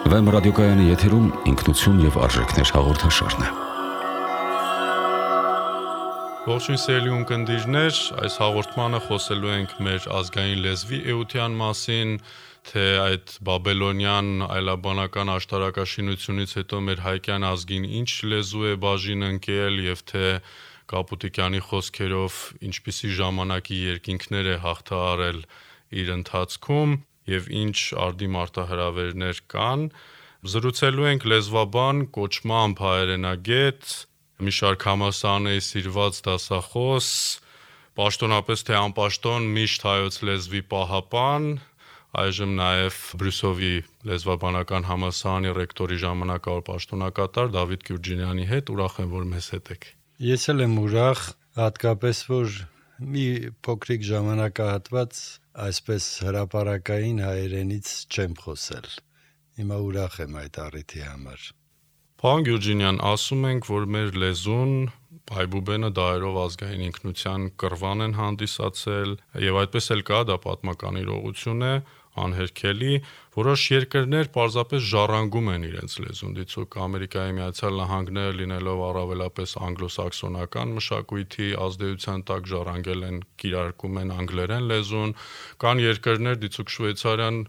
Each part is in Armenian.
Վեմ ռադիոկայանի եթերում ինքնություն եւ արժեքներ հաղորդաշարն է։ Ողջույն սիրելի ունկնդիրներ, այս հաղորդմանը խոսելու ենք մեր ազգային լեզվի էության մասին, թե այդ բաբելոնյան այլաբանական աշտարակաշինությունից հետո մեր հայկյան ազգին ինչ լեզու է բաժին ընկել եւ թե Կապուտիկյանի խոսքերով ինչպիսի ժամանակի երկինքներ է հաղթահարել իր ընթացքում եւ ինչ արդի մարտահրավերներ կան։ Զրուցելու ենք լեզվաբան, կոչմամբ հայերենագետ, մի շարք համալսարանների սիրված դասախոս, պաշտոնապես թե անպաշտոն միշտ հայոց լեզվի պահապան, այժմ նաև Բրյուսովի լեզվաբանական համալսարանի ռեկտորի ժամանակավոր պաշտոնակատար Դավիթ Գյուրջինյանի հետ ուրախ եմ, որ մեզ հետ եք։ Ես էլ եմ ուրախ, հատկապես որ մի փոքրիկ ժամանակահատված այսպես հրապարակային հայերենից չեմ խոսել։ Հիմա ուրախ եմ այդ առիթի համար։ Պարոն Գյուրջինյան, ասում ենք, որ մեր լեզուն Բայբուբենը դարերով ազգային ինքնության կռվան են հանդիսացել, եւ այդպես էլ կա, դա պատմական իրողություն է, անհերքելի, որոշ երկրներ պարզապես ժառանգում են իրենց լեզուն, դիցուք Ամերիկայի Միացյալ Նահանգները լինելով առավելապես անգլոսաքսոնական մշակույթի ազդեցության տակ ժառանգել են, կիրարկում են անգլերեն լեզուն, կան երկրներ, դիցուք Շվեյցարիան,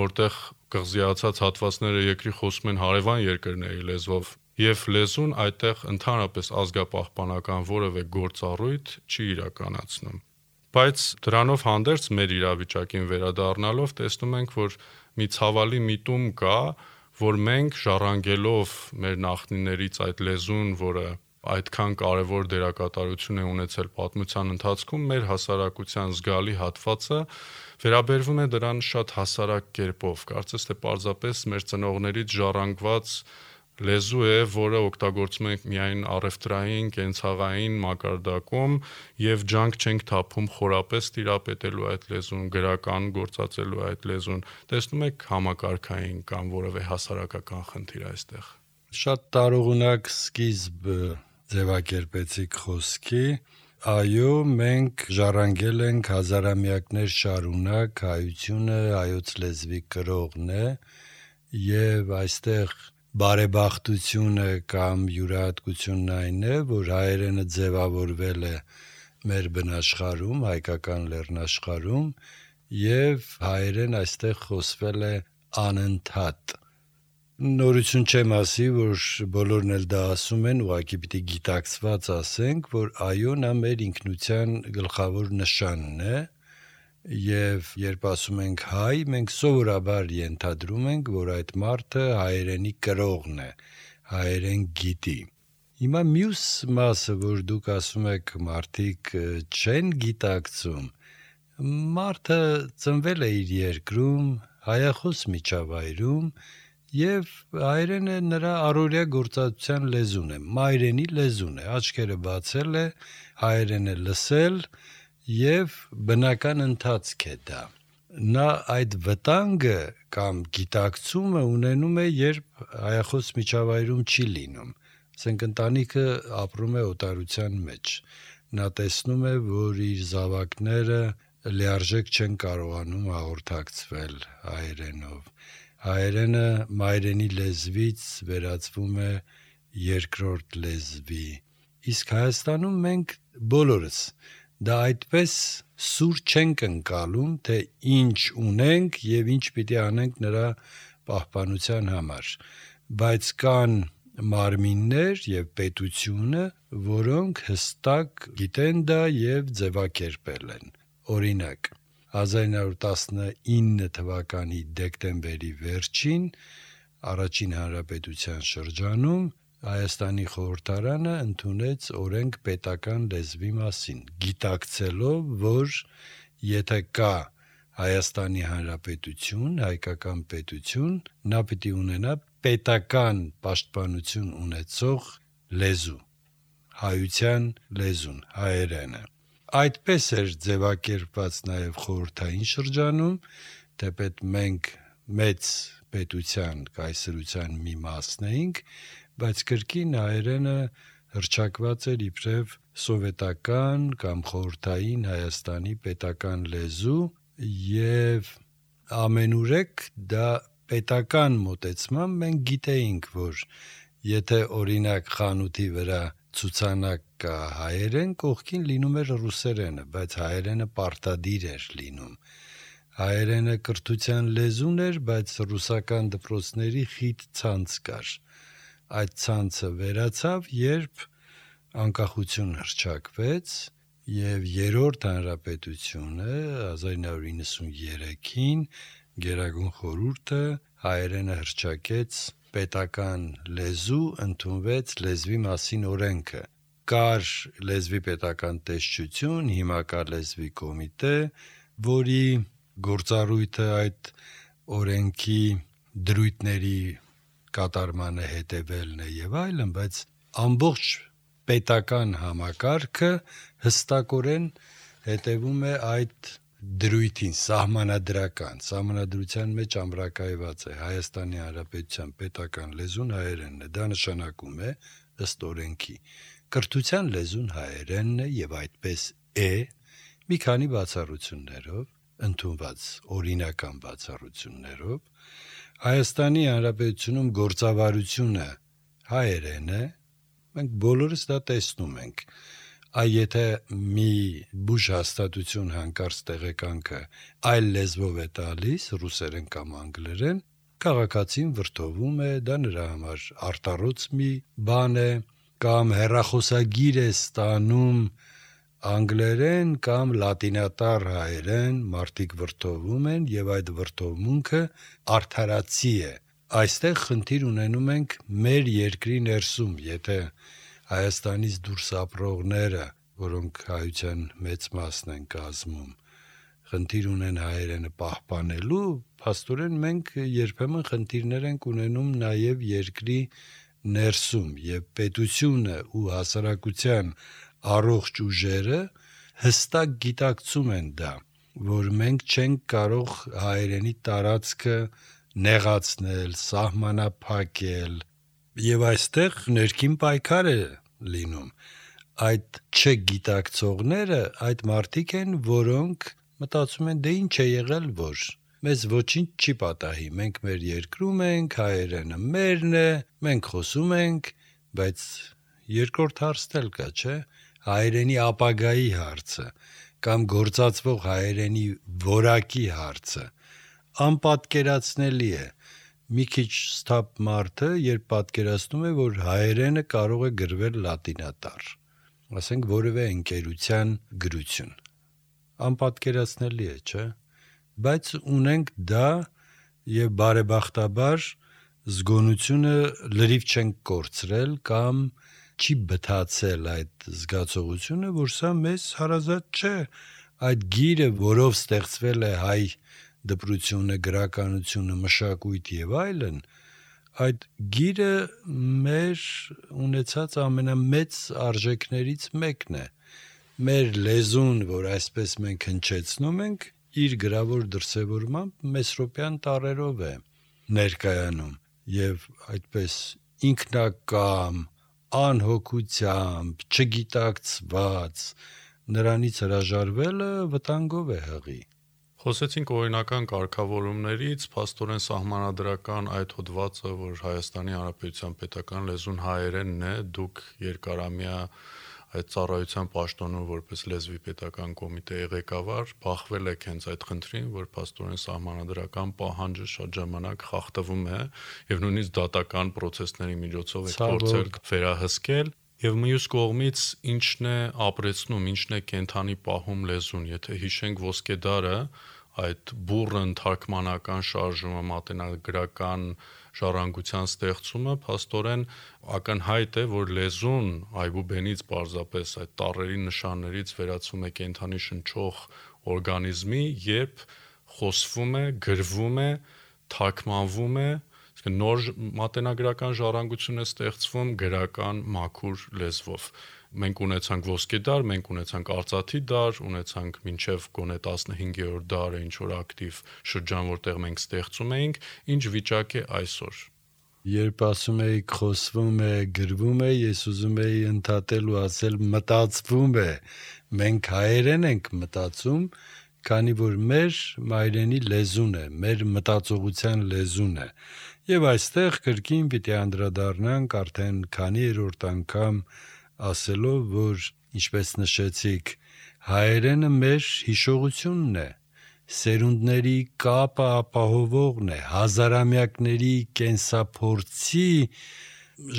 որտեղ կղզիացած հատվածները երկրի խոսում են հարևան երկրների լեզվով, եւ լեզուն այդտեղ ընդհանրապես ազգապահպանական որևէ գործառույթ չի իրականացնում։ Բայց դրանով հանդերձ մեր իրավիճակին վերադառնալով տեսնում ենք, որ մի ցավալի միտում կա, որ մենք ժառանգելով մեր նախնիներից այդ լեզուն, որը այդքան կարևոր դերակատարություն է ունեցել պատմության ընթացքում, մեր հասարակության զգալի հատվածը վերաբերվում է դրան շատ հասարակ կերպով, կարծես թե պարզապես մեր ծնողներից ժառանգված լեզու է, որը օգտագործում ենք միայն առևտրային, կենցաղային մակարդակում եւ ջանք չենք թափում խորապես տիրապետելու այդ լեզուն, գրական գործածելու այդ լեզուն։ Տեսնում եք համակարգային կամ որևէ հասարակական խնդիր այստեղ։ Շատ տարողունակ սկիզբ ձևակերպեցիք խոսքի։ Այո, մենք ժառանգել ենք հազարամյակներ շարունակ հայությունը, հայոց լեզվի կրողն է եւ այստեղ բարեբախտությունը կամ յուրահատկությունն այն է, որ հայերենը ձևավորվել է մեր բնաշխարհում, հայկական լեռնաշխարհում եւ հայերեն այստեղ խոսվել է անընդհատ։ Նորություն չեմ ասի, որ բոլորն էլ դա ասում են, ուղղակի պիտի գիտակցված ասենք, որ այո, նա մեր ինքնության գլխավոր նշանն է եւ երբ ասում ենք հայ, մենք սովորաբար ենթադրում ենք, որ այդ մարդը հայերենի կրողն է, հայերեն գիտի։ Հիմա մյուս մասը, որ դուք ասում եք, մարդիկ չեն գիտակցում, մարդը ծնվել է իր երկրում, հայախոս միջավայրում եւ հայերենը նրա առօրյա գործածության լեզուն է, մայրենի լեզուն է, աչքերը բացել է, հայերեն է լսել եւ բնական ընթացք է դա։ Նա այդ վտանգը կամ գիտակցումը ունենում է, երբ հայախոս միջավայրում չի լինում։ Ասենք ընտանիքը ապրում է օտարության մեջ։ Նա տեսնում է, որ իր զավակները լիարժեք չեն կարողանում հաղորդակցվել հայերենով։ Հայերենը մայրենի լեզվից վերածվում է երկրորդ լեզվի։ Իսկ Հայաստանում մենք բոլորս դա այդպես սուր չենք ընկալում, թե ինչ ունենք եւ ինչ պիտի անենք նրա պահպանության համար, բայց կան մարմիններ եւ պետությունը, որոնք հստակ գիտեն դա եւ ձևակերպել են։ Օրինակ 1919 թվականի դեկտեմբերի վերջին առաջին հանրապետության շրջանում Հայաստանի խորհրդարանը ընդունեց օրենք պետական լեզվի մասին, գիտակցելով, որ եթե կա Հայաստանի Հանրապետություն, հայկական պետություն, նա պիտի ունենա պետական պաշտպանություն ունեցող լեզու, հայության լեզուն, հայերենը։ Այդպես էր ձևակերպված նաև խորհրդային շրջանում, թեպետ մենք մեծ պետության կայսրության մի մասն էինք, բայց կրկին հայերենը հռչակված էր իբրև սովետական կամ խորհրդային Հայաստանի պետական լեզու եւ ամենուրեք դա պետական մոտեցմամբ մենք գիտեինք, որ եթե օրինակ խանութի վրա ցուցանակ կա հայերեն, կողքին լինում էր ռուսերենը, բայց հայերենը պարտադիր էր լինում։ Հայերենը կրթության լեզուն էր, բայց ռուսական դպրոցների խիտ ցանց կար։ Այդ ցանցը վերացավ, երբ անկախություն հռչակվեց եւ Երրորդ հանրապետությունը 1993-ին Գերագույն խորհուրդը հայերենը հռչակեց պետական լեզու, ընդունվեց լեզվի մասին օրենքը։ Կար լեզվի պետական տեսչություն, հիմա կա լեզվի կոմիտե, որի գործառույթը այդ օրենքի դրույթների կատարմանը հետևելն է եւ այլն, բայց ամբողջ պետական համակարգը հստակորեն հետևում է այդ դրույթին, սահմանադրության մեջ ամրակայված է Հայաստանի Հանրապետության պետական լեզուն հայերենն է, դա նշանակում է ըստ օրենքի կրթության լեզուն հայերենն է եւ այդպես է մի քանի բացառություններով, ընդունված օրինական բացառություններով Հայաստանի Հանրապետությունում գործավարությունը հայերեն է, մենք բոլորս դա տեսնում ենք։ Եթե մի բուժ հաստատություն հանկարծ տեղեկանքը այլ լեզվով է տալիս, ռուսերեն կամ անգլերեն, քաղաքացին վրդովում է, դա նրա համար արտառոց մի բան է, կամ հեռախոսագիր է ստանում անգլերեն կամ լատինատառ հայերեն, մարդիկ վրդովում են եւ այդ վրդովմունքը արդարացի է։ Այստեղ խնդիր ունենում ենք մեր երկրի ներսում, եթե Հայաստանից դուրս ապրողները, որոնք հայության մեծ մասն են կազմում, խնդիր ունեն հայերենը պահպանելու, փաստորեն մենք երբեմն խնդիրներ ենք ունենում նաև երկրի ներսում եւ պետությունը ու հասարակության առողջ ուժերը հստակ գիտակցում են դա, որ մենք չենք կարող հայերենի տարածքը նեղացնել, սահմանափակել եւ այստեղ ներքին պայքար է լինում։ Այդ չգիտակցողները այդ մարդիկ են, որոնք մտածում են դե ինչ է եղել, որ մեզ ոչինչ չի պատահի, մենք մեր երկրում ենք, հայերենը մերն է, մենք խոսում ենք, բայց երկրորդ հարցն էլ կա, չէ՞, հայերենի ապագայի հարցը կամ գործածվող հայերենի որակի հարցը անպատկերացնելի է։ Մի քիչ ստապ մարդը, երբ պատկերացնում է, որ հայերենը կարող է գրվել լատինատառ, ասենք որևէ ընկերության գրություն, անպատկերացնելի է, չէ՞, բայց ունենք դա եւ բարեբախտաբար զգոնությունը լրիվ չենք կորցրել կամ չի բթացել այդ զգացողությունը, որ սա մեզ հարազատ չէ, այդ գիրը, որով ստեղծվել է հայ դպրությունը, գրականությունը, մշակույթ եւ այլն, այդ գիրը մեր ունեցած ամենամեծ արժեքներից մեկն է։ Մեր լեզուն, որ այսպես մենք հնչեցնում ենք, իր գրավոր դրսևորմամբ մեսրոպյան տառերով է ներկայանում եւ այդպես ինքնակամ, անհոգությամբ, չգիտակցված նրանից հրաժարվելը վտանգով է հղի։ Խոսեցինք օրինական կարգավորումներից, փաստորեն սահմանադրական այդ հոդվածը, որ Հայաստանի Հանրապետության պետական լեզուն հայերենն է, դուք երկարամյա այդ ծառայության պաշտոնով որպես լեզվի պետական կոմիտեի ղեկավար բախվել եք հենց այդ խնդրին, որ փաստորեն սահմանադրական պահանջը շատ ժամանակ խախտվում է եւ նույնիսկ դատական process-ների միջոցով եք փորձել վերահսկել։ Եվ մյուս կողմից ինչն է ապրեցնում, ինչն է կենթանի պահում լեզուն, եթե հիշենք ոսկեդարը, այդ բուռն թարգմանական շարժումը, մատենագրական ժառանգության ստեղծումը, փաստորեն ակնհայտ է, որ լեզուն այբուբենից պարզապես այդ տառերի նշաններից վերածվում է կենթանի շնչող օրգանիզմի, երբ խոսվում է, գրվում է, թարգմանվում է, նոր մատենագրական ժառանգություն է ստեղծվում գրական մաքուր լեզվով։ Մենք ունեցանք ոսկեդար, մենք ունեցանք արծաթի դար, ունեցանք մինչև գոնե 15-րդ դարը ինչ որ ակտիվ շրջան, որտեղ մենք ստեղծում էինք, ինչ վիճակ է այսօր։ Երբ ասում էիք խոսվում է, գրվում է, ես ուզում էի ընդհատել ու ասել մտածվում է։ Մենք հայերեն ենք մտածում քանի որ մեր մայրենի լեզուն է, մեր մտածողության լեզուն է։ Եվ այստեղ կրկին պիտի անդրադառնանք արդեն քանի երրորդ անգամ ասելով, որ ինչպես նշեցիք, հայերենը մեր հիշողությունն է, սերունդների կապը ապահովողն է, հազարամյակների կենսափորձի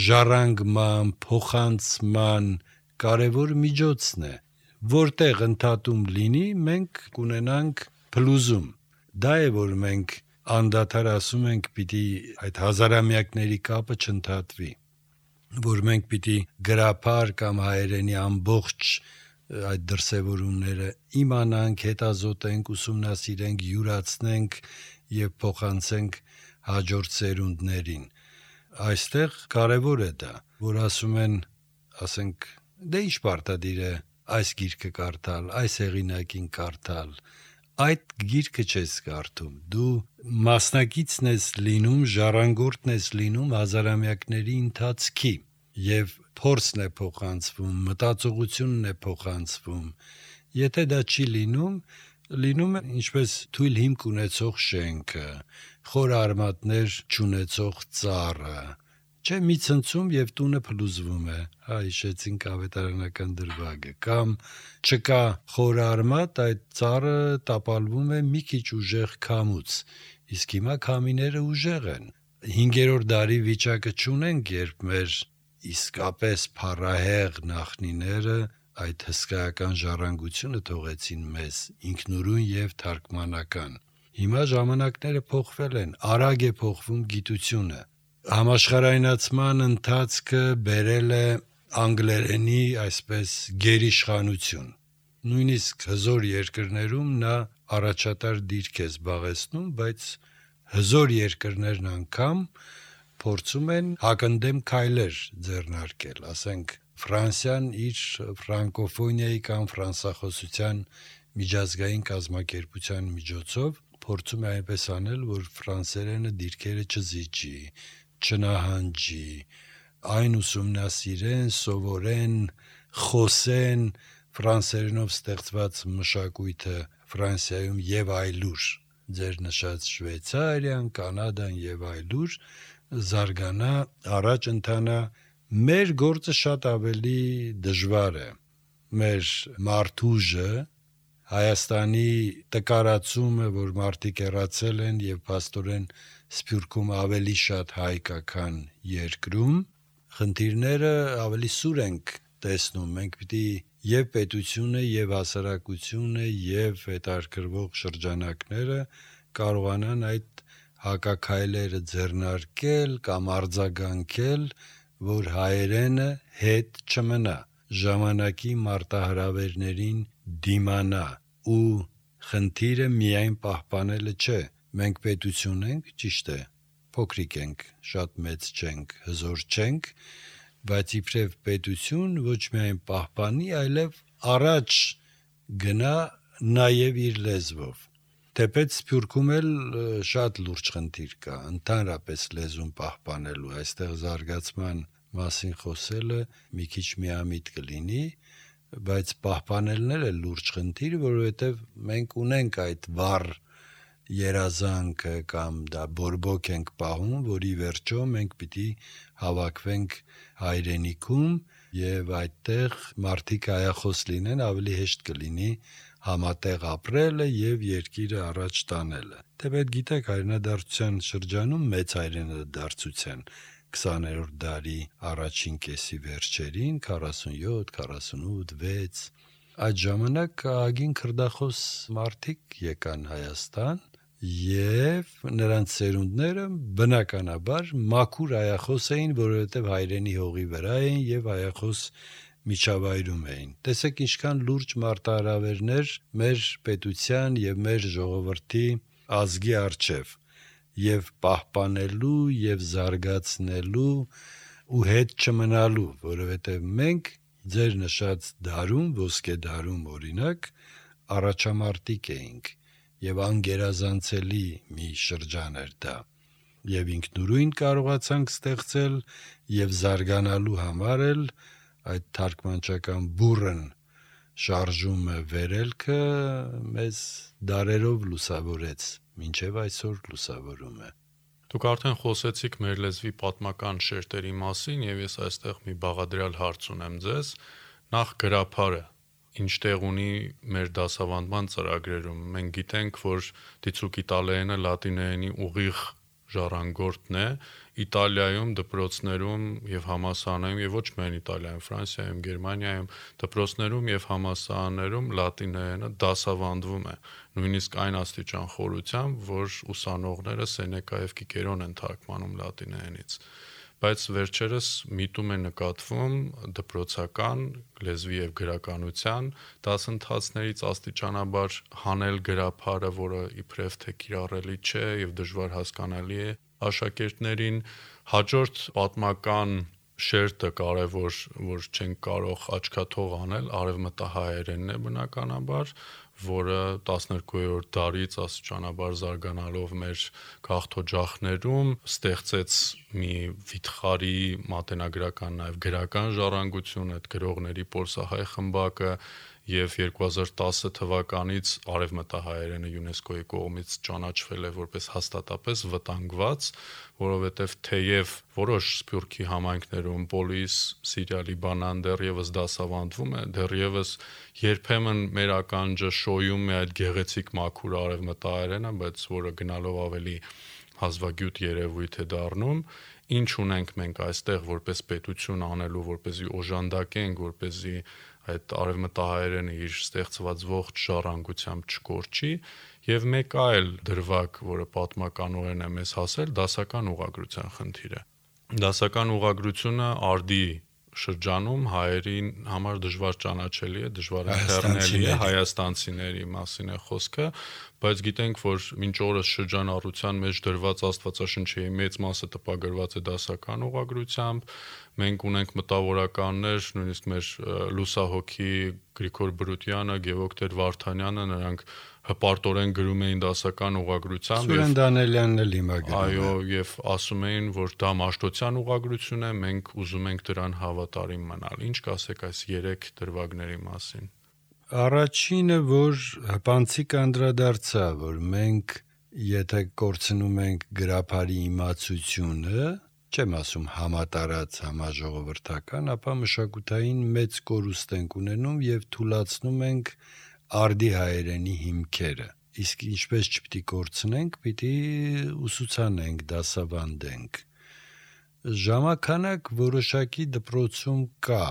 ժառանգման, փոխանցման կարևոր միջոցն է, որտեղ ընդհատում լինի, մենք կունենանք փլուզում։ Դա է, որ մենք անդադար ասում ենք, պիտի այդ հազարամյակների կապը չընդհատվի, որ մենք պիտի գրափար կամ հայերենի ամբողջ այդ դրսևորումները իմանանք, հետազոտենք, ուսումնասիրենք, յուրացնենք եւ փոխանցենք հաջորդ սերունդներին։ Այստեղ կարևոր է դա, որ ասում են, ասենք, դե ինչ պարտադիր է այս գիրքը կարդալ, այս հեղինակին կարդալ, այդ գիրքը չես կարդում, դու մասնակիցն ես լինում, ժառանգորդն ես լինում հազարամյակների ընթացքի եւ փորձն է փոխանցվում, մտածողությունն է փոխանցվում։ Եթե դա չի լինում է ինչպես թույլ հիմք ունեցող շենքը, խոր արմատներ չունեցող ծառը, չէ, մի ցնցում եւ տունը փլուզվում է, հիշեցինք ավետարանական դրվագը, կամ չկա խոր արմատ, այդ ծառը տապալվում է մի քիչ ուժեղ քամուց, իսկ հիմա քամիները ուժեղ են։ 5-րդ դարի վիճակը չունենք, երբ մեր իսկապես փառահեղ նախնիները այդ հսկայական ժառանգությունը թողեցին մեզ, ինքնուրույն եւ թարգմանական։ Հիմա ժամանակները փոխվել են, արագ է փոխվում գիտությունը։ Համաշխարհայնացման ընթացքը բերել է անգլերենի այսպես գերիշխանություն։ Նույնիսկ հզոր երկրներում նա առաջատար դիրք է զբաղեցնում, բայց հզոր երկրներն անգամ փորձում են հակընդդեմ քայլեր ձեռնարկել, ասենք Ֆրանսիան իր ֆրանկոֆոնիայի կամ ֆրանսախոսության միջազգային կազմակերպության միջոցով փորձում է այնպես անել, որ ֆրանսերենը դիրքերը չզիջի, չնահանջի, այն ուսումնասիրեն, սովորեն, խոսեն ֆրանսերենով ստեղծված մշակույթը Ֆրանսիայում եւ այլուր, ձեր նշած Շվեյցարիան, Կանադան եւ այլուր զարգանա, առաջ ընթանա։ Մեր գործը շատ ավելի դժվար է։ Մեր մարդուժը Հայաստանի տկարացումը, որ մարդիկ հեռացել են եւ փաստորեն Սփյուռքում ավելի շատ հայ կա, քան երկրում, խնդիրները ավելի սուր ենք տեսնում։ Մենք պիտի եւ պետությունը, եւ հասարակությունը, եւ հետաքրքրվող շրջանակները կարողանան այդ հակաքայլերը ձեռնարկել կամ արձագանքել, որ հայերենը հետ չմնա, ժամանակի մարտահրավերներին դիմանա, ու խնդիրը միայն պահպանելը չէ։ Մենք պետություն ենք, ճիշտ է, փոքրիկ ենք, շատ մեծ չենք, հզոր չենք, բայց իբրև պետություն ոչ միայն պահպանի, այլև առաջ գնա նաև իր լեզվով։ Թեպետ Սփյուռքում էլ շատ լուրջ խնդիր կա, ընդհանրապես լեզուն պահպանելու, այստեղ զարգացման մասին խոսելը մի քիչ միամիտ կլինի, բայց պահպանելն էլ է լուրջ խնդիր, որովհետև մենք ունենք այդ վառ երազանքը կամ դա բորբոք ենք պահում, որի վերջո մենք պիտի հավաքվենք հայրենիքում եւ այդտեղ մարդիկ հայախոս լինեն, ավելի հեշտ կլինի համատեղ ապրելը եւ երկիրը առաջ տանելը։ Թեպետ գիտեք, հայրենադարձության շրջանում մեծ հայրենադարձության 20-րդ դարի առաջին կեսի վերջերին 47, 48, 6 այդ ժամանակ ագին քրդախոս մարդիկ եկան Հայաստան եւ նրանց սերունդները բնականաբար մաքուր հայախոս էին, որովհետեւ հայրենի հողի վրա էին եւ հայախոս միջավայրում էին։ Տեսեք ինչքան լուրջ մարտահրավերներ մեր պետության եւ մեր ժողովրդի ազգի առջև եւ պահպանելու եւ զարգացնելու ու հետ չմնալու, որովհետեւ մենք ձեր նշած դարում, ոսկե դարում օրինակ, առաջամարտիկ էինք եւ անգերազանցելի մի շրջան էր դա։ Եվ ինքնուրույն կարողացանք ստեղծել եւ զարգանալու համար էլ այդ թարգմանչական բուրըն շարժումը, վերելքը մեզ դարերով լուսավորեց, մինչև այսօր լուսավորում է։ Դուք արդեն խոսեցիք մեր լեզվի պատմական շերտերի մասին եւ ես այստեղ մի բաղադրյալ հարց ունեմ ձեզ։ Նախ գրաբարը ինչ տեղ ունի մեր դասավանդման ծրագրերում։ Մենք գիտենք, որ դիցուք իտալերենը լատիներենի ուղիղ ժառանգորդն է, Իտալիայում դպրոցներում եւ համալսարաններում եւ ոչ միայն Իտալիայում, Ֆրանսիայում, Գերմանիայում դպրոցներում եւ համալսարաններում լատիներենը դասավանդվում է, նույնիսկ այն աստիճան խորությամբ, որ ուսանողները Սենեկա եւ Կիկերոն են թարգմանում լատիներենից, բայց վերջերս միտում է նկատվում դպրոցական լեզվի եւ գրականության դասընթացներից աստիճանաբար հանել գրաբարը, որը իբրև թե կիրառելի չէ եւ դժվար հասկանալի է աշակերտներին։ Հաջորդ պատմական շերտը կարևոր, որ չենք կարող աչքաթող անել, արևմտահայերենն է բնականաբար, որը 12-րդ դարից աստիճանաբար զարգանալով մեր քաղաքօջախներում ստեղծեց մի վիթխարի մատենագրական նաև գրական ժառանգություն, այդ գրողների պոլսահայ խմբակը եւ 2010 թվականից արևմտահայերենը ՅՈՒՆԵՍԿՕ-ի կողմից ճանաչվել է որպես հաստատապես վտանգված, որովհետեւ թեև որոշ սփյուռքի համայնքներում Պոլիս, Սիրիա, Լիբանան դեռևս դասավանդվում է, դեռևս երբեմն մեր ականջը շոյում է այդ գեղեցիկ մաքուր արևմտահայերենը, բայց որը գնալով ավելի հազվագյուտ երևույթ է դառնում։ Ինչ ունենք մենք այստեղ որպես պետություն անելու, որպեսզի օժանդակենք, որպեսզի այդ արևմտահայերենը իր ստեղծված ողջ ժառանգությամբ չկորչի, եւ մեկ այլ դրվագ, որը պատմականորեն է մեզ հասել, դասական ուղղագրության խնդիրը։ Դասական ուղղագրությունը արդի շրջանում հայերին համար դժվար ճանաչելի է, դժվար ընթեռնելի է, հայաստանցիների մասին է խոսքը, բայց գիտենք, որ մինչ օրս շրջանառության մեջ դրված Աստվածաշնչի մեծ մասը տպագրված է դասական ուղղագրությամբ։ Մենք ունենք մտավորականներ, նույնիսկ մեր լուսահոգի Գրիգոր Բրուտյանը, Գևոկտեր Վարդանյանը, նրանք հպարտորեն գրում էին դասական ուղղագրությամբ Սուրեն Դանելյանն էլ հիմա գրում է։ Այո, եւ ասում էին, որ դա Մաշտոցյան ուղղագրություն է, մենք ուզում ենք դրան հավատարիմ մնալ։ Ինչ կասեք այս 3 դրվագների մասին։ Առաջինը, որ հպանցիկ անդրադարձա, որ մենք եթե կորցնում ենք գրաբարի իմացությունը, չեմ ասում համատարած, համաժողովրդական, ապա մշակութային մեծ կորուստ ենք ունենում եւ թուլացնում ենք արդի հայերենի հիմքերը։ Իսկ ինչպես չպիտի կորցնենք, պիտի ուսուցանենք, դասավանդենք։ Ժամանակ որոշակի դպրոցում կա,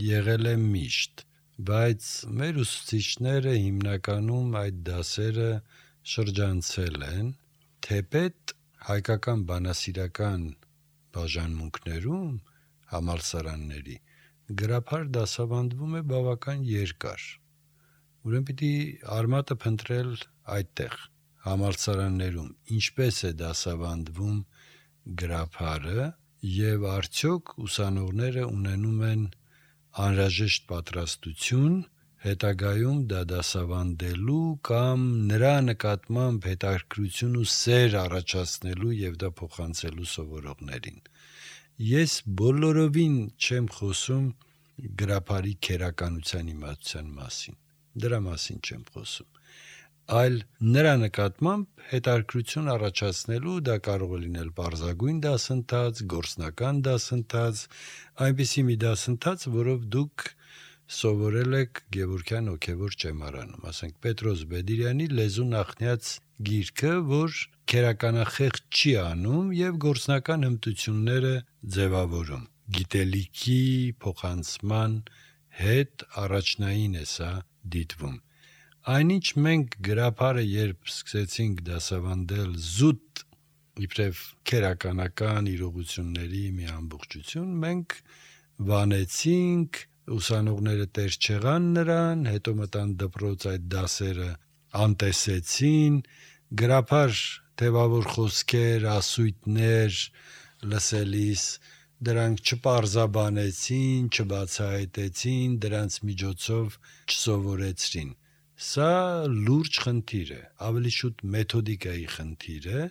եղել է միշտ, բայց մեր ուսուցիչները հիմնականում այդ դասերը շրջանցել են, թեպետ հայկական բանասիրական բաժանմունքներում համալսարանների գրաբար դասավանդվում է բավական երկար։ Ուրեմն պիտի արմատը փնտրել այդտեղ համալսարաններում ինչպես է դասավանդվում գրաբարը եւ արդյոք ուսանողները ունենում են անհրաժեշտ պատրաստություն հետագայում դա դասավանդելու կամ նրա նկատմամբ հետաքրքրություն ու սեր առաջացնելու եւ դա փոխանցելու սովորողներին։ Ես բոլորովին չեմ խոսում գրաբարի քերականության իմացության մասին։ Դրա մասին չեմ խոսում, այլ նրա նկատմամբ հետաքրքրություն առաջացնելու դա կարող է լինել բարձրագույն դասընթաց, գործնական դասընթաց, այնպիսի մի դասընթաց, որով դուք սովորել եք Գևորգյան հոգևոր ճեմարանում, ասենք Պետրոս Բեդիրյանի լեզու նախնյաց գիրքը, որ քերականախեղճ չի անում եւ գործնական հմտությունները ձևավորում։ Գիտելիքի փոխանցման հետ առաջնային է սա դիտվում։ Այնինչ մենք գրաբարը երբ սկսեցինք դասավանդել զուտ իբրև քերականական իրողությունների մի ամբողջություն, մենք վանեցինք, ուսանողները տեր չեղան նրան, հետո մտան դպրոց այդ դասերը անտեսեցին, գրաբար թեվավոր խոսքեր, ասույթներ լսելիս դրանք չպարզաբանեցին, չբացահայտեցին, դրանց միջոցով չսովորեցրին։ Սա լուրջ խնդիր է, ավելի շուտ մեթոդիկայի խնդիր է,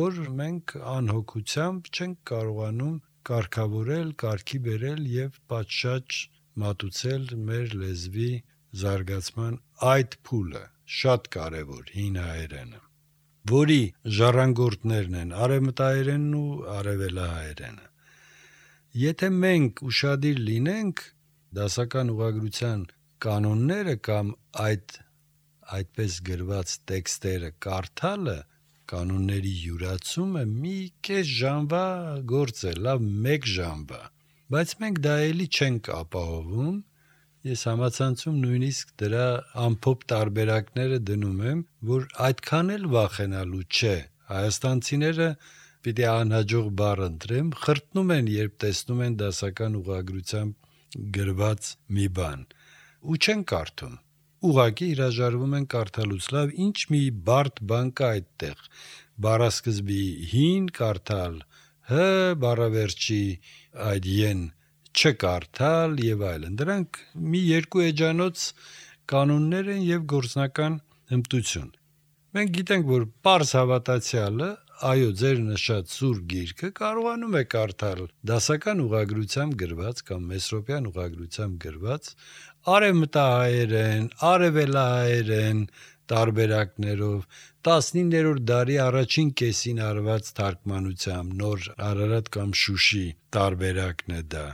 որ մենք անհոգությամբ չենք կարողանում կարգավորել, կարգի բերել եւ պատշաճ մատուցել մեր լեզվի զարգացման այդ փուլը, շատ կարևոր հին հայերենը, որի ժառանգորդներն են արևմտահայերենն ու արևելահայերենը։ Եթե մենք ուշադիր լինենք, դասական ուղղագրության կանոնները կամ այդպես գրված տեքստերը կարդալը, կանոնների յուրացումը մի կես ժամվա գործ է, լավ 1 ժամվա, բայց մենք դա էլի չենք ապահովում։ Ես համացանցում նույնիսկ դրա ամփոփ տարբերակները դնում եմ, որ այդքան էլ վախենալու չէ։ Հայաստանցիները պիտի անհաջող բառ ընտրեմ, խրտնում են, երբ տեսնում են դասական ուղղագրությամբ գրված մի բան, ու չեն կարդում։ Ուղղակի հրաժարվում են կարդալուց, լավ, ինչ մի բարդ բան կա այդտեղ։ Բառասկզբի հին կարդալ, հ բառավերջի այդ են չկարդալ եւ այլն։ Դրանք մի երկու էջանոց կանոններ են եւ գործնական հմտություն։ Մենք գիտենք, որ պարզ հավատացյալը, այո, ձեր նշած սուրբ գիրքը կարողանում է կարդալ դասական ուղղագրությամբ գրված կամ մեսրոպյան ուղղագրությամբ գրված արևմտահայերեն, արևելահայերեն տարբերակներով 19-րդ դարի առաջին կեսին արված թարգմանությամբ նոր Արարատ կամ Շուշի տարբերակն է դա։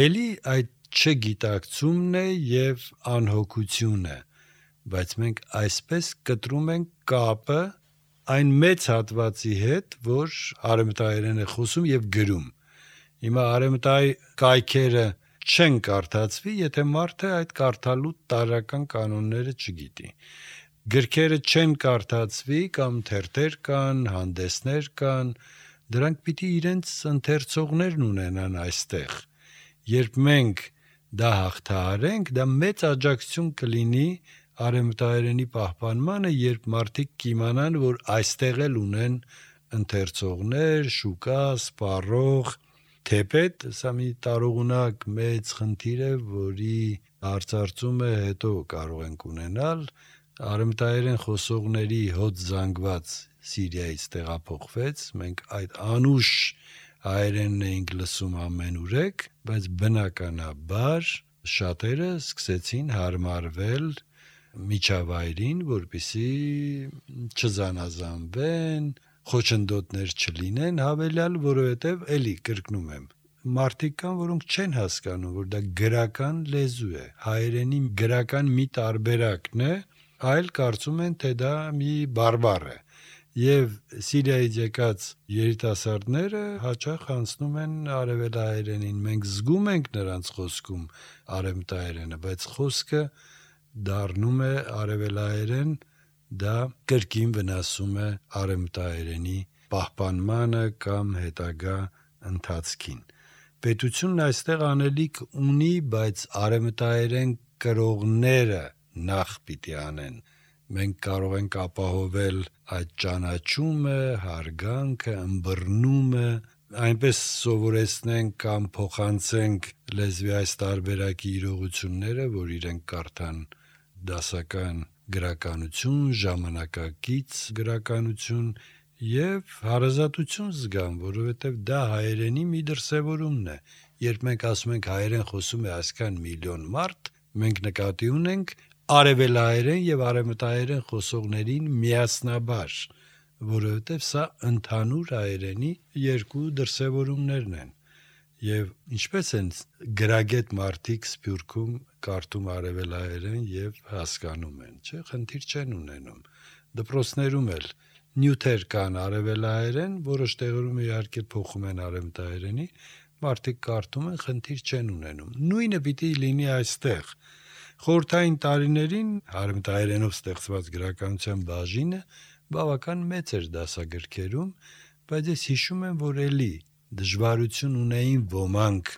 Էլի այդ չգիտակցումն է եւ անհոգությունը, բայց մենք այսպես կտրում ենք կապը այն մեծ հատվածի հետ, որ արևմտահայերեն է խոսում եւ գրում։ Հիմա արևմտահայ կայքերը չեն կարդացվի, եթե մարդը այդ կարդալու տարրական կանոնները չգիտի։ Գրքերը չեն կարդացվի կամ թերթեր կան, հանդեսներ կան, դրանք պիտի իրենց ընթերցողներն ունենան այստեղ։ Երբ մենք դա հաղթահարենք, դա մեծ աջակցություն կլինի արևմտահայերենի պահպանմանը, երբ մարդիկ կիմանան, որ այստեղ էլ ունեն ընթերցողներ, շուկա, սպառող, թեպետ սա մի տարողունակ մեծ խնդիր է, որի հարցարծումը հետո կարող ենք ունենալ։ Արևմտահայերեն խոսողների հոտ զանգված Սիրիայից տեղափոխվեց, մենք այդ անուշ հայերենն էինք լսում ամենուրեք, բայց բնականաբար շատերը սկսեցին հարմարվել միջավայրին, որպեսզի չզանազանվեն, խոչընդոտներ չլինեն, հավելյալ, որովհետև էլի կրկնում եմ, մարդիկ կան, որոնք չեն հասկանում, որ դա գրական լեզու է, հայերենի գրական մի տարբերակն է, այլ կարծում են, թե դա մի բարբառ է։ Եվ Սիրիայից եկած երիտասարդները հաճախ անցնում են արևելահայերենին։ Մենք զգում ենք նրանց խոսքում արևմտահայերենը, բայց խոսքը դառնում է արևելահայերեն, դա կրկին վնասում է արևմտահայերենի պահպանմանը կամ հետագա ընթացքին։ Պետությունն այստեղ անելիք ունի, բայց արևմտահայերեն կրողները նախ պիտի անեն։ Մենք կարող ենք ապահովել այդ ճանաչումը, հարգանքը, ըմբռնումը, այնպես սովորեցնենք կամ փոխանցենք լեզվի այս տարբերակի իրողությունները, որ իրենք կարդան դասական գրականություն, ժամանակակից գրականություն եւ հարազատություն զգան, որովհետեւ դա հայերենի մի դրսևորումն է։ Երբ մենք ասում ենք հայերեն խոսում է այսքան միլիոն մարդ, մենք նկատի ունենք արևելահայերեն եւ արևմտահայերեն խոսողներին միասնաբար, որովհետեւ սա ընդհանուր հայերենի երկու դրսևորումներն են։ Եվ ինչպես են գրագետ մարդիկ Սփյուռքում կարդում արևելահայերեն եւ հասկանում են, չէ՞, խնդիր չեն ունենում։ Դպրոցներում էլ նյութեր կան արևելահայերեն, որոշ տեղերում իհարկե փոխում են արևմտահայերենի, մարդիկ կարդում են, խնդիր չեն ունենում։ Նույնը պիտի լինի այստեղ։ Խորհրդային տարիներին արևմտահայերենով ստեղծված գրականության բաժինը բավական մեծ էր դասագրքերում, բայց ես հիշում եմ, որ էլի դժվարություն ունեին ոմանք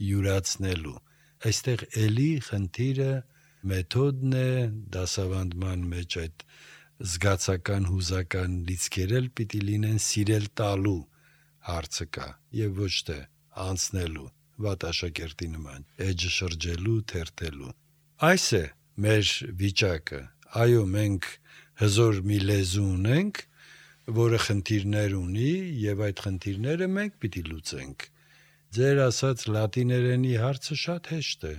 յուրացնելու։ Այստեղ էլի խնդիրը մեթոդն է, դասավանդման մեջ այդ զգացական հուզական լիցքեր էլ պիտի լինեն սիրել տալու հարցը կա եւ ոչ թե անցնելու վատ աշակերտի նման էջը շրջելու, թերթելու։ Այս է մեր վիճակը։ Այո, մենք հզոր մի լեզու ունենք, որը խնդիրներ ունի եւ այդ խնդիրները մենք պիտի լուծենք։ Ձեր ասած լատիներենի հարցը շատ հեշտ է։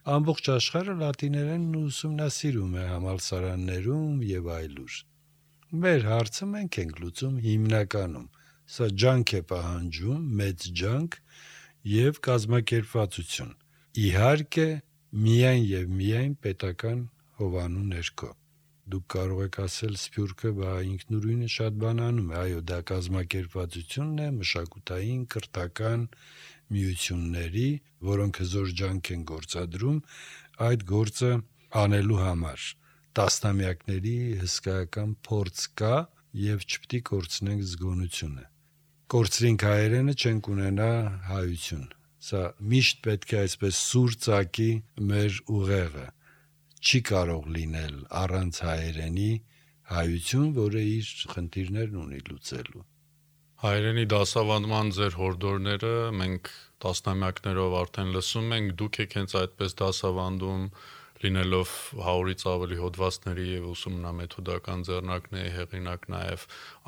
ամբողջ աշխարհը լատիներենն ուսումնասիրում է համալսարաններում եւ այլուր։ Մեր հարցը մենք ենք լուծում հիմնականում։ Սա ջանք է պահանջում, մեծ ջանք եւ կազմակերպվածություն։ Իհարկե, միայն եւ միայն պետական հովանու ներքո։ Դուք կարող եք ասել Սփյուռքը բա ինքնուրույնը շատ բան անում է, այո, դա կազմակերպվածությունն է, մշակութային, կրթական միությունների, որոնք հզոր ջանք են գործադրում այդ գործը անելու համար։ Տասնամյակների հսկայական փորձ կա եւ չպետք է կորցնենք զգոնությունը։ Կորցրինք հայերենը, չենք ունենա հայություն։ Սա միշտ պետք է այսպես սուր ծակի մեր ուղեղը։ Չի կարող լինել առանց հայերենի հայություն, որը իր խնդիրներն ունի լուծելու։ Հայերենի դասավանդման ձեր հորդորները մենք տասնամյակներով արդեն լսում ենք, դուք եք հենց այդպես դասավանդում, լինելով 100-ից ավելի հոդվածների եւ ուսումնամեթոդական ձեռնարկների հեղինակ նաեւ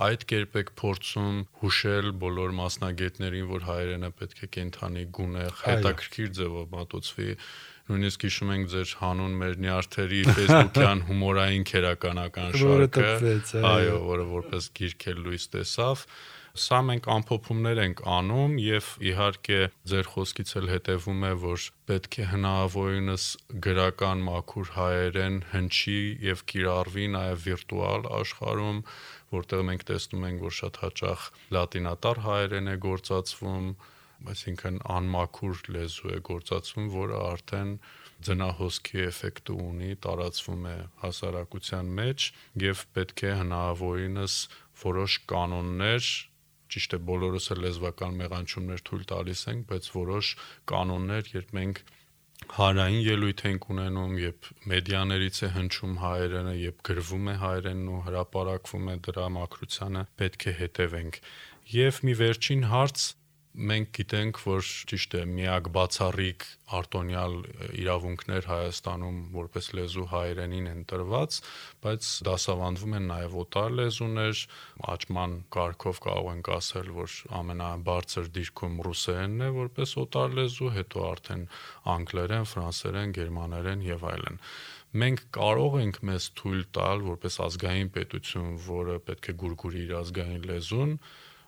այդ կերպ եք փորձում հուշել բոլոր մասնագետներին, որ հայերենը պետք է կենթանի գունեղ, հետաքրքիր ձևով մատուցվի։ Նույնիսկ հիշում ենք ձեր հանուն մեր նյարդերի Facebook-յան հումորային քերականական շարքը, այո, որը որպես գիրք էլ լույս տեսավ։ Սա մենք ամփոփումներ ենք անում եւ իհարկե ձեր խոսքից էլ հետեւում է, որ պետք է հնարավորինս գրական մաքուր հայերեն հնչի եւ կիրառվի նաեւ վիրտուալ աշխարհում, որտեղ մենք տեսնում ենք, որ շատ հաճախ լատինատար հայերեն է գործածվում, այսինքն անմաքուր լեզու է գործածվում, որը արդեն ձնահոսքի էֆեկտ ունի, տարածվում է հասարակության մեջ եւ պետք է հնարավորինս որոշ կանոններ, ճիշտ է, բոլորս էլ լեզվական մեղանչումներ թույլ տալիս ենք, բայց որոշ կանոններ, երբ մենք հանրային ելույթ ենք ունենում, երբ մեդիաներից է հնչում հայերենը, երբ գրվում է հայերենն ու հրապարակվում է դրա մաքրությանը, պետք է հետևենք։ Եվ մի վերջին հարց, մենք գիտենք, որ ճիշտ է, միակ բացառիկ արտոնյալ իրավունքներ Հայաստանում որպես լեզու հայերենին են տրված, բայց դասավանդվում են նաև օտար լեզուներ, աճման կարգով կարող ենք ասել, որ ամենաբարձր դիրքում ռուսերենն է որպես օտար լեզու, հետո արդեն անգլերեն, ֆրանսերեն, գերմաներեն եւ այլն։ Մենք կարող ենք մեզ թույլ տալ որպես ազգային պետություն, որը պետք է գուրգուրի իր ազգային լեզուն,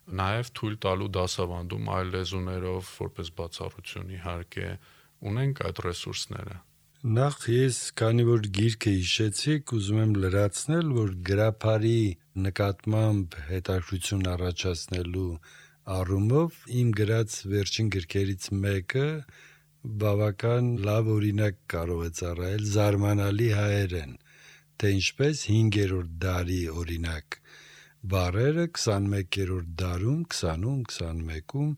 նաև թույլ տալու դասավանդում այլ լեզուներով որպես բացառություն իհարկե ունենք այդ ռեսուրսները։ Նախ ես, քանի որ գիրքը հիշեցիք, ուզում եմ լրացնել, որ գրափարի նկատմամբ հետաքրքրություն առաջացնելու առումով իմ գրած վերջին գրքերից մեկը բավական լավ օրինակ կարող է ծառայել զարմանալի հայերեն, թե ինչպես 5-րդ դարի օրինակ բառերը 21-րդ դարում, 20-ում, 21-ում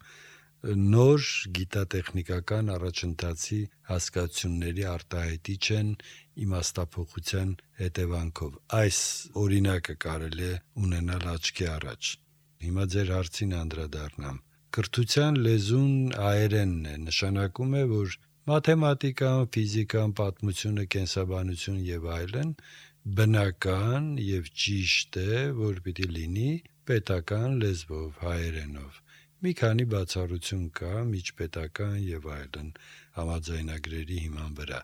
նոր գիտատեխնիկական առաջընթացի հասկացությունների արտահայտիչ են իմաստափոխության հետևանքով։ Այս օրինակը կարելի է ունենալ աչքի առաջ։ Հիմա ձեր հարցին անդրադառնամ։ Կրթության լեզուն հայերենն է, նշանակում է, որ մաթեմատիկան, ֆիզիկան, պատմությունը, կենսաբանություն եւ այլն բնական եւ ճիշտ է, որ պիտի լինի պետական լեզվով, հայերենով։ Մի քանի բացառություն կա, միջպետական եւ այլն համաձայնագրերի հիման վրա։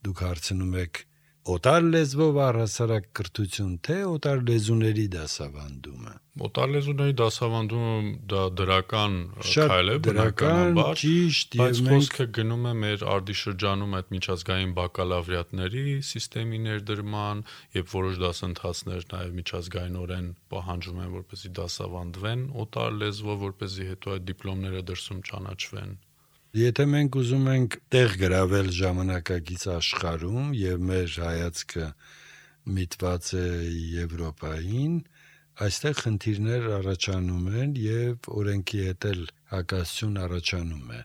Դուք հարցնում եք օտար լեզվով առհասարակ կրթություն, թե օտար լեզուների դասավանդումը։ Օտար լեզուների դասավանդումը դա դրական քայլ է, բնականաբար, ճիշտ, բայց խոսքը գնում է մեր արտիշրջանում այդ միջազգային բակալավրիատների սիստեմի ներդրման, եւ որոշ դասընթացներ նաեւ միջազգայինորեն պահանջում են, որպեսզի դասավանդվեն օտար լեզվով, որպեսզի հետո այդ դիպլոմները դրսում ճանաչվեն։ Եթե մենք ուզում ենք տեղ գրավել ժամանակակից աշխարհում եւ մեր հայացքը միտված է Եվրոպային, այստեղ խնդիրներ առաջանում են եւ օրենքի հետ էլ հակասություն առաջանում է։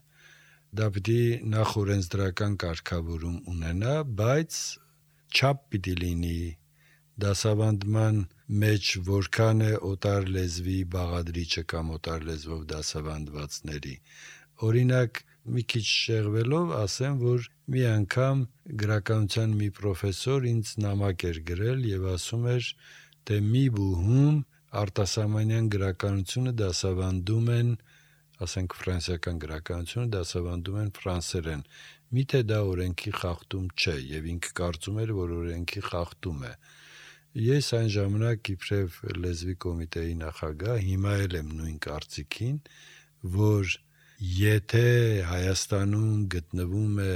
Դա պիտի նախ օրենսդրական կարգավորում ունենա, բայց չափ պիտի լինի դասավանդման մեջ որքան է օտար լեզվի բաղադրիչը կամ օտար լեզվով դասավանդվածների։ Օրինակ մի քիչ շեղվելով ասեմ, որ մի անգամ գրականության մի պրոֆեսոր ինձ նամակ էր գրել եւ ասում էր, թե մի բուհում արտասահմանյան գրականությունը դասավանդում են ասենք ֆրանսիական գրականությունը դասավանդում են ֆրանսերեն։ Միթե դա օրենքի խախտում չէ, եւ ինքը կարծում էր, որ օրենքի խախտում է։ Ես այն ժամանակ իբրև լեզվի կոմիտեի նախագահ հիմա էլ եմ նույն կարծիքին, որ եթե Հայաստանում գտնվում է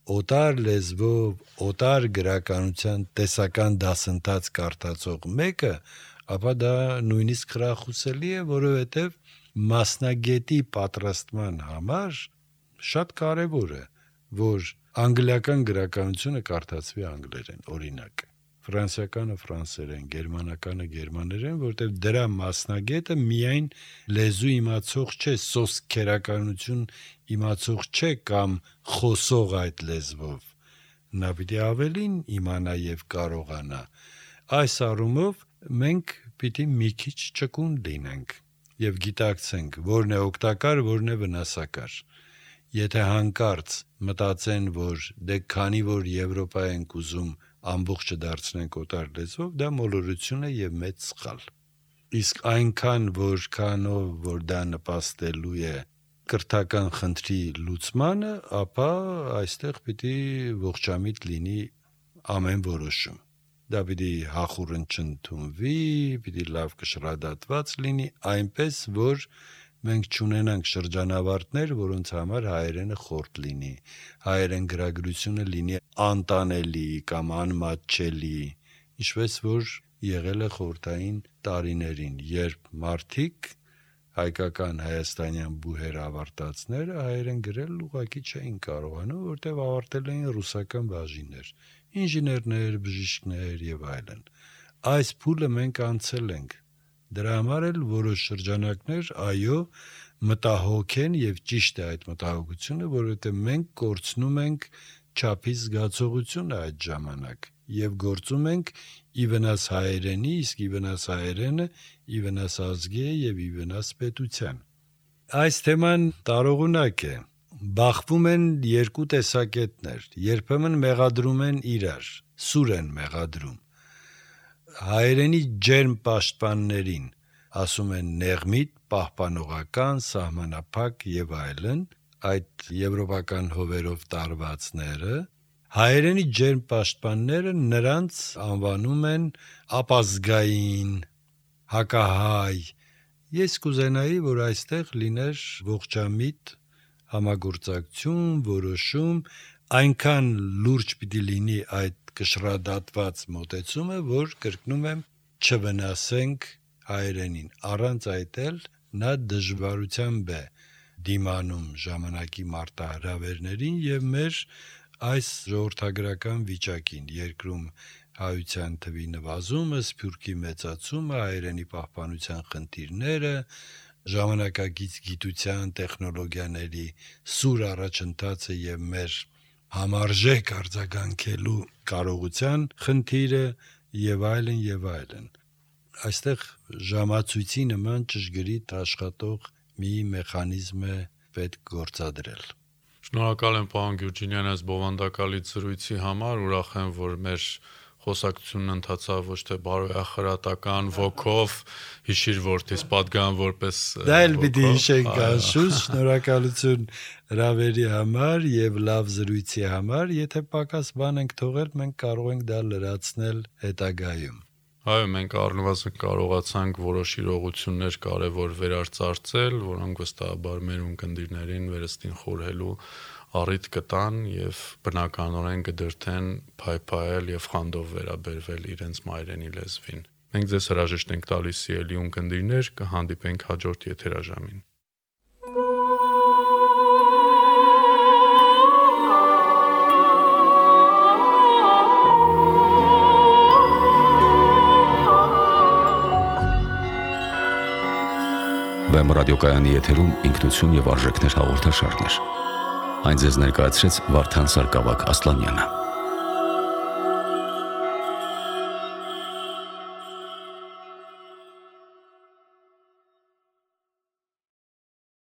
օտար լեզվով, օտար գրականության տեսական դասընթաց կարդացող մեկը, ապա դա նույնիսկ խրախուսելի է, որովհետև մասնագետի պատրաստման համար շատ կարևոր է, որ անգլիական գրականությունը կարդացվի անգլերեն, օրինակ, ֆրանսիականը ֆրանսերեն, գերմանականը գերմաներեն, որտեղ դրա մասնագետը միայն լեզու իմացող չէ, սոսկերականություն իմացող չէ կամ խոսող այդ լեզվով, նա պիտի ավելին իմանա եւ կարողանա։ Այս առումով մենք պիտի մի քիչ ճկուն լինենք եւ գիտակցենք, որն է օգտակար, որն է վնասակար։ Եթե հանկարծ մտածեն, որ դե քանի որ Եվրոպա ենք ուզում ամբողջը դարձնենք օտար լեզվով, դա մոլորություն է եւ մեծ սխալ։ Իսկ այնքան որքանով որ դա նպաստելու է կրթական խնդրի լուծմանը, ապա այստեղ պիտի ողջամիտ լինի ամեն որոշում։ Դա պիտի հախուռն չընդունվի, պիտի լավ կշռադատված լինի, այնպես որ մենք չունենանք շրջանավարտներ, որոնց համար հայերենը խորտ լինի, հայերեն գրագրությունը լինի անտանելի կամ անմատչելի, ինչպես որ եղել է խորհրդային տարիներին, երբ մարդիկ հայկական հայաստանյան բուհեր ավարտածները հայերեն գրել ուղղակի չէին կարողանում, որտեղ ավարտել էին ռուսական բաժիններ, ինժեներներ, բժիշկներ եւ այլն։ Այս փուլը մենք անցել ենք։ Դրա համար էլ որոշ շրջանակներ, այո, մտահոգ են եւ ճիշտ է այդ մտահոգությունը, որովհետեւ մենք կորցնում ենք չափի զգացողությունը այդ ժամանակ եւ գործում ենք ի վնաս հայերենի, իսկ ի վնաս հայերենը ի վնաս ազգի եւ ի վնաս պետության։ Այս թեման տարողունակ է։ Բախվում են երկու տեսակետներ, երբեմն մեղադրում են իրար, սուր են մեղադրում։ Հայերենի ջերմ պաշտպաններին ասում են նեղմիտ, պահպանողական, սահմանափակ եւ այլն, այդ եվրոպական հովերով տարվածները, հայերենի ջերմ պաշտպանները նրանց անվանում են ապազգային, հակահայ։ Ես կուզենայի, որ այստեղ լիներ ողջամիտ համագործակցություն, որոշում, այնքան լուրջ պիտի լինի այդ կշռադատված մոտեցումը, որ կրկնում եմ, չվնասենք հայերենին, առանց այդ էլ նա դժվարությամբ է դիմանում ժամանակի մարտահրավերներին եւ մեր այս ժողովրդագրական վիճակին, երկրում հայության թվի նվազումը, սփյուռքի մեծացումը, հայերենի պահպանության խնդիրները, ժամանակակից գիտության, տեխնոլոգիաների սուր առաջընթացը եւ մեր համարժեք արձագանքելու կարողության խնդիրը եւ այլն եւ այլն։ Այստեղ ժամացույցի նման ճշգրիտ աշխատող մի մեխանիզմ է պետք գործադրել։ Շնորհակալ եմ պարոն Գյուրջինյան այս բովանդակալից զրույցի համար, ուրախ եմ, որ մեր խոսակցությունն ընթացավ ոչ թե բարոյախրատական ոգով, հիշիր որդիս պատգան որպես դա էլ պիտի հիշենք անշուշտ, շնորհակալություն հրավերի համար եւ լավ զրույցի համար, եթե պակաս բան ենք թողել, մենք կարող ենք դա լրացնել հետագայում։ Այո, մենք առնվազն կարողացանք որոշ իրողություններ կարևոր վերարծարծել, որոնք վստահաբար մեր ունկնդիրներին վերստին խորհելու առիթ կտան եւ բնականորեն կդրթեն փայփայել եւ խանդով վերաբերվել իրենց մայրենի լեզվին։ Մենք ձեզ հրաժեշտ ենք տալիս սիրելի ունկնդիրներ, կհանդիպենք հաջորդ եթերաժամին։ Վեմ ռադիոկայանի եթերում ինքնություն եւ արժեքներ հաղորդաշարներ։ Այն ձեզ ներկայացրեց Վարդան Սարգսակ Ասլանյանը։